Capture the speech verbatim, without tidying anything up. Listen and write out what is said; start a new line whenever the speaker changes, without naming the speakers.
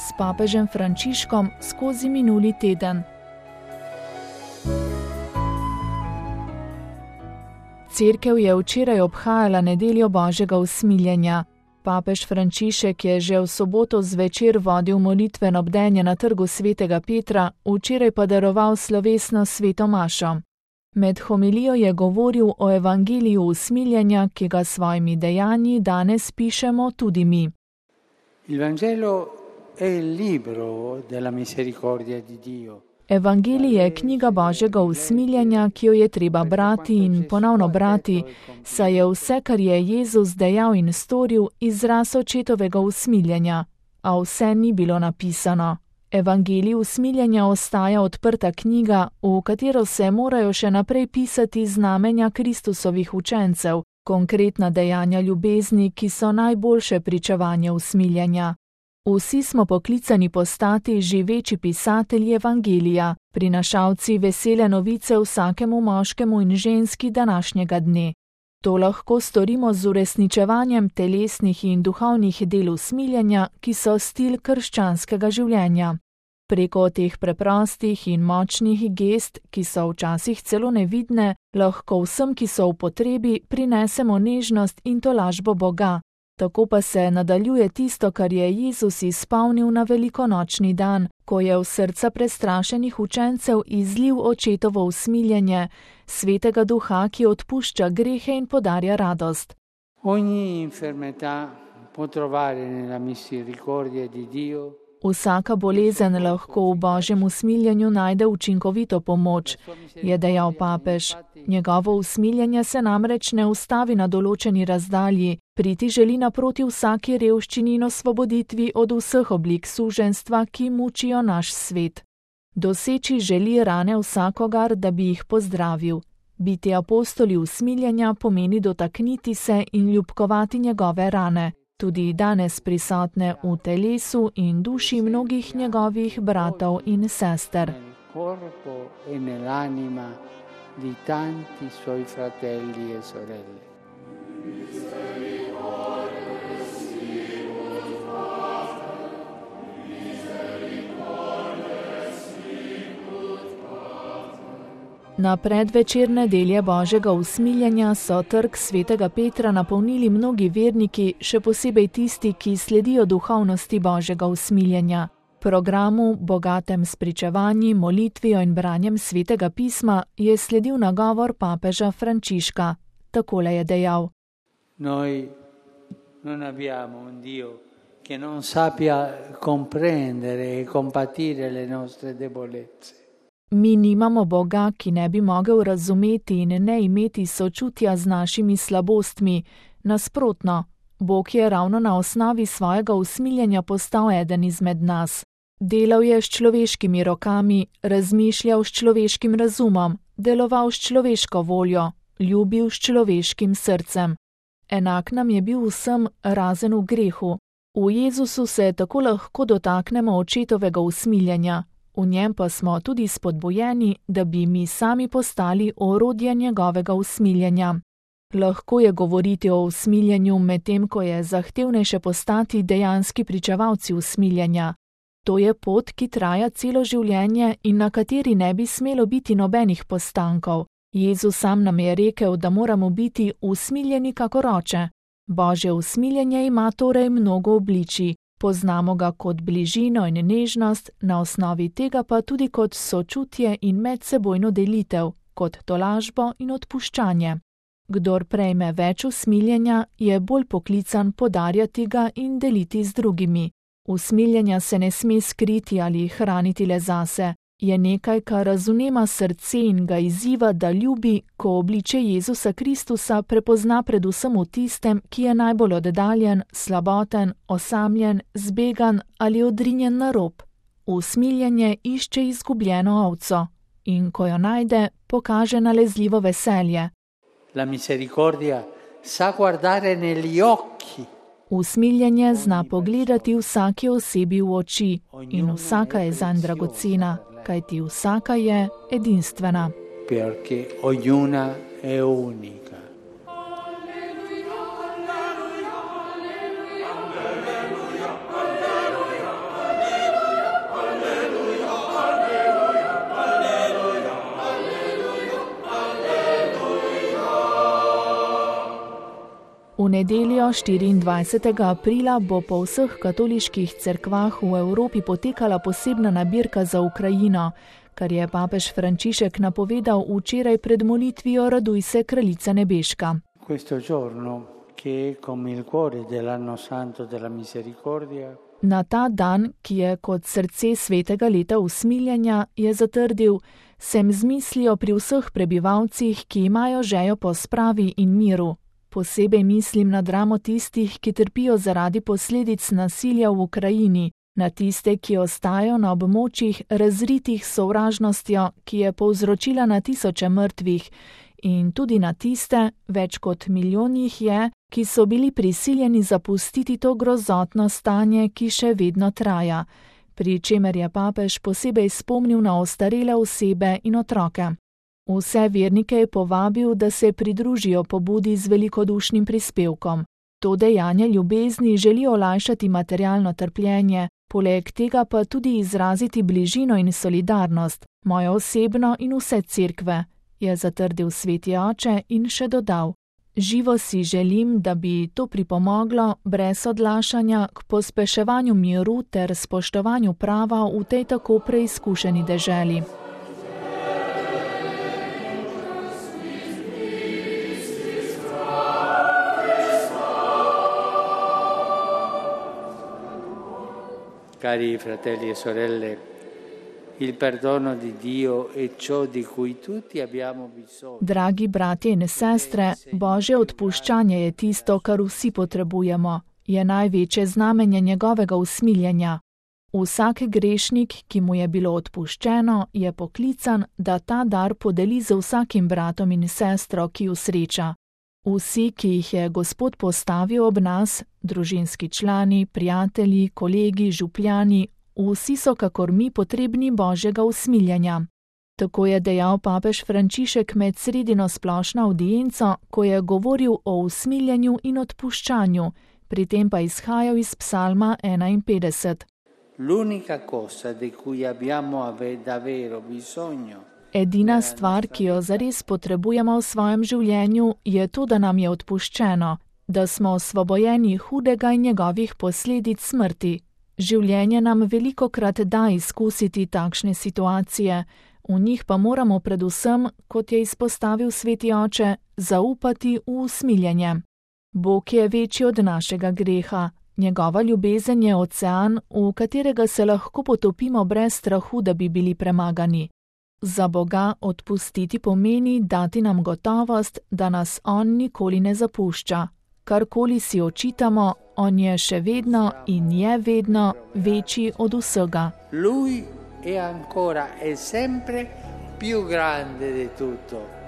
s papežem Frančiškom skozi minuli teden. Cerkev je včeraj obhajala nedeljo Božjega usmiljenja. Papež Frančišek je že v soboto zvečer vodil molitveno bdenje na trgu svetega Petra, včeraj pa daroval slovesno sveto mašo. Med homilijo je govoril o evangeliju usmiljenja, ki ga s svojimi dejanji danes pišemo tudi mi.
Il Vangelo è il libro della misericordia di Dio.
Evangelij je knjiga Božjega usmiljenja, ki jo je treba brati in ponovno brati, saj je vse, kar je Jezus dejal in storil, izraz očetovega usmiljenja, a vse ni bilo napisano. Evangelij usmiljenja ostaja odprta knjiga, v katero se morajo še naprej pisati znamenja Kristusovih učencev, konkretna dejanja ljubezni, ki so najboljše pričevanje usmiljenja. Vsi smo poklicani postati živeči pisatelji Evangelija, prinašalci vesele novice vsakemu moškemu in ženski današnjega dne. To lahko storimo z uresničevanjem telesnih in duhovnih del usmiljenja, ki so stil krščanskega življenja. Preko teh preprostih in močnih gest, ki so včasih celo nevidne, lahko vsem, ki so v potrebi, prinesemo nežnost in tolažbo Boga. Tako pa se nadaljuje tisto, kar je Jezus izpolnil na velikonočni dan, ko je v srca prestrašenih učencev izlil očetovo usmiljenje, svetega duha, ki odpušča grehe in podarja radost.
Ogni infermità può trovare nella misericordia di Dio.
Vsaka bolezen lahko v Božjem usmiljenju najde učinkovito pomoč, je dejal papež. Njegovo usmiljenje se namreč ne ustavi na določeni razdalji, priti želi naproti vsaki revščini in osvoboditvi od vseh oblik suženjstva, ki mučijo naš svet. Doseči želi rane vsakogar, da bi jih pozdravil. Biti apostoli usmiljenja pomeni dotakniti se in ljubkovati njegove rane, tudi danes prisotne v telesu in duši mnogih njegovih bratov in sester.
Di tanti suoi fratelli e sorelle.
Na predvečer nedelje Božjega usmiljenja so trg svetega Petra napolnili mnogi verniki, še posebej tisti, ki sledijo duhovnosti Božjega usmiljenja. Programu, bogatem s pričevanji, molitvijo in branjem svetega pisma, je sledil nagovor papeža Frančiška. Takole je dejal.
Noi non abbiamo un Dio che non sappia comprendere e compatire le nostre debolezze.
Mi nimamo Boga, ki ne bi mogel razumeti in ne imeti sočutja z našimi slabostmi. Nasprotno, Bog je ravno na osnovi svojega usmiljenja postal eden izmed nas. Delal je s človeškimi rokami, razmišljal s človeškim razumom, deloval s človeško voljo, ljubil s človeškim srcem. Enak nam je bil vsem razen v grehu. V Jezusu se tako lahko dotaknemo očetovega usmiljenja, v njem pa smo tudi spodbujeni, da bi mi sami postali orodje njegovega usmiljenja. Lahko je govoriti o usmiljenju, medtem ko je zahtevnejše postati dejanski pričevalci usmiljenja. To je pot, ki traja celo življenje in na kateri ne bi smelo biti nobenih postankov. Jezus sam nam je rekel, da moramo biti usmiljeni kakor oče. Božje usmiljenje ima torej mnogo obličij. Poznamo ga kot bližino in nežnost, na osnovi tega pa tudi kot sočutje in medsebojno delitev, kot tolažbo in odpuščanje. Kdor prejme več usmiljenja, je bolj poklican podarjati ga in deliti z drugimi. Usmiljenja se ne sme skriti ali hraniti le zase. Je nekaj, kar razumema srce in ga izziva, da ljubi, ko obliče Jezusa Kristusa prepozna predvsem v tistem, ki je najbolj oddaljen, slaboten, osamljen, zbegan ali odrinjen na rob. Usmiljenje išče izgubljeno ovco in ko jo najde, pokaže nalezljivo veselje.
La misericordia sa guardare negli occhi.
Usmiljenje zna pogledati vsaki osebi v oči in vsaka je zanj dragocena, kajti vsaka je edinstvena.
Perché ognuna è unica.
nedeljo štiriindvajsetega aprila bo po vseh katoliških cerkvah v Evropi potekala posebna nabirka za Ukrajino, kar je papež Frančišek napovedal včeraj pred molitvijo Raduj se, kraljica nebeška.
Questo giorno, che è come il cuore dell'anno santo della misericordia,
Na ta dan, ki je kot srce svetega leta usmiljenja, je zatrdil, sem z mislijo pri vseh prebivalcih, ki imajo žejo po spravi in miru. Posebej mislim na dramo tistih, ki trpijo zaradi posledic nasilja v Ukrajini, na tiste, ki ostajajo na območjih razritih s sovražnostjo, ki je povzročila na tisoče mrtvih, in tudi na tiste, več kot milijon jih je, ki so bili prisiljeni zapustiti to grozotno stanje, ki še vedno traja, pri čemer je papež posebej spomnil na ostarele osebe in otroke. Vse vernike je povabil, da se pridružijo pobudi z velikodušnim prispevkom. To dejanje ljubezni želi olajšati materialno trpljenje, poleg tega pa tudi izraziti bližino in solidarnost, mojo osebno in vse cerkve, je zatrdil sveti oče in še dodal. Živo si želim, da bi to pripomoglo brez odlašanja k pospeševanju miru ter spoštovanju prava v tej tako preizkušeni deželi.
Cari fratelli e sorelle, il perdono di Dio è ciò di cui tutti abbiamo bisogno.
Dragi bratje in sestre, Božje odpuščanje je tisto, kar vsi potrebujemo, je največje znamenje njegovega usmiljenja. Vsak grešnik, ki mu je bilo odpuščeno, je poklican, da ta dar podeli z vsakim bratom in sestro, ki ju sreča. Vsi, ki jih je Gospod postavil ob nas, družinski člani, prijatelji, kolegi, župljani, vsi so kakor mi potrebni Božjega usmiljenja. Tako je dejal papež Frančišek med sredino splošno avdienco, ko je govoril o usmiljenju in odpuščanju, pri tem pa izhajal iz psalma enainpetdeset.
L'unica cosa di cui abbiamo davvero bisogno.
Edina stvar, ki jo zares potrebujemo v svojem življenju, je to, da nam je odpuščeno, da smo osvobojeni hudega in njegovih posledic smrti. Življenje nam velikokrat da izkusiti takšne situacije, v njih pa moramo predvsem, kot je izpostavil sveti oče, zaupati v usmiljenje. Bog je večji od našega greha, njegova ljubezen je ocean, v katerega se lahko potopimo brez strahu, da bi bili premagani. Za Boga odpustiti pomeni dati nam gotovost, da nas On nikoli ne zapušča. Karkoli si očitamo, On je še vedno in je vedno večji od vsega.
Lui è ancora e sempre più grande di tutto.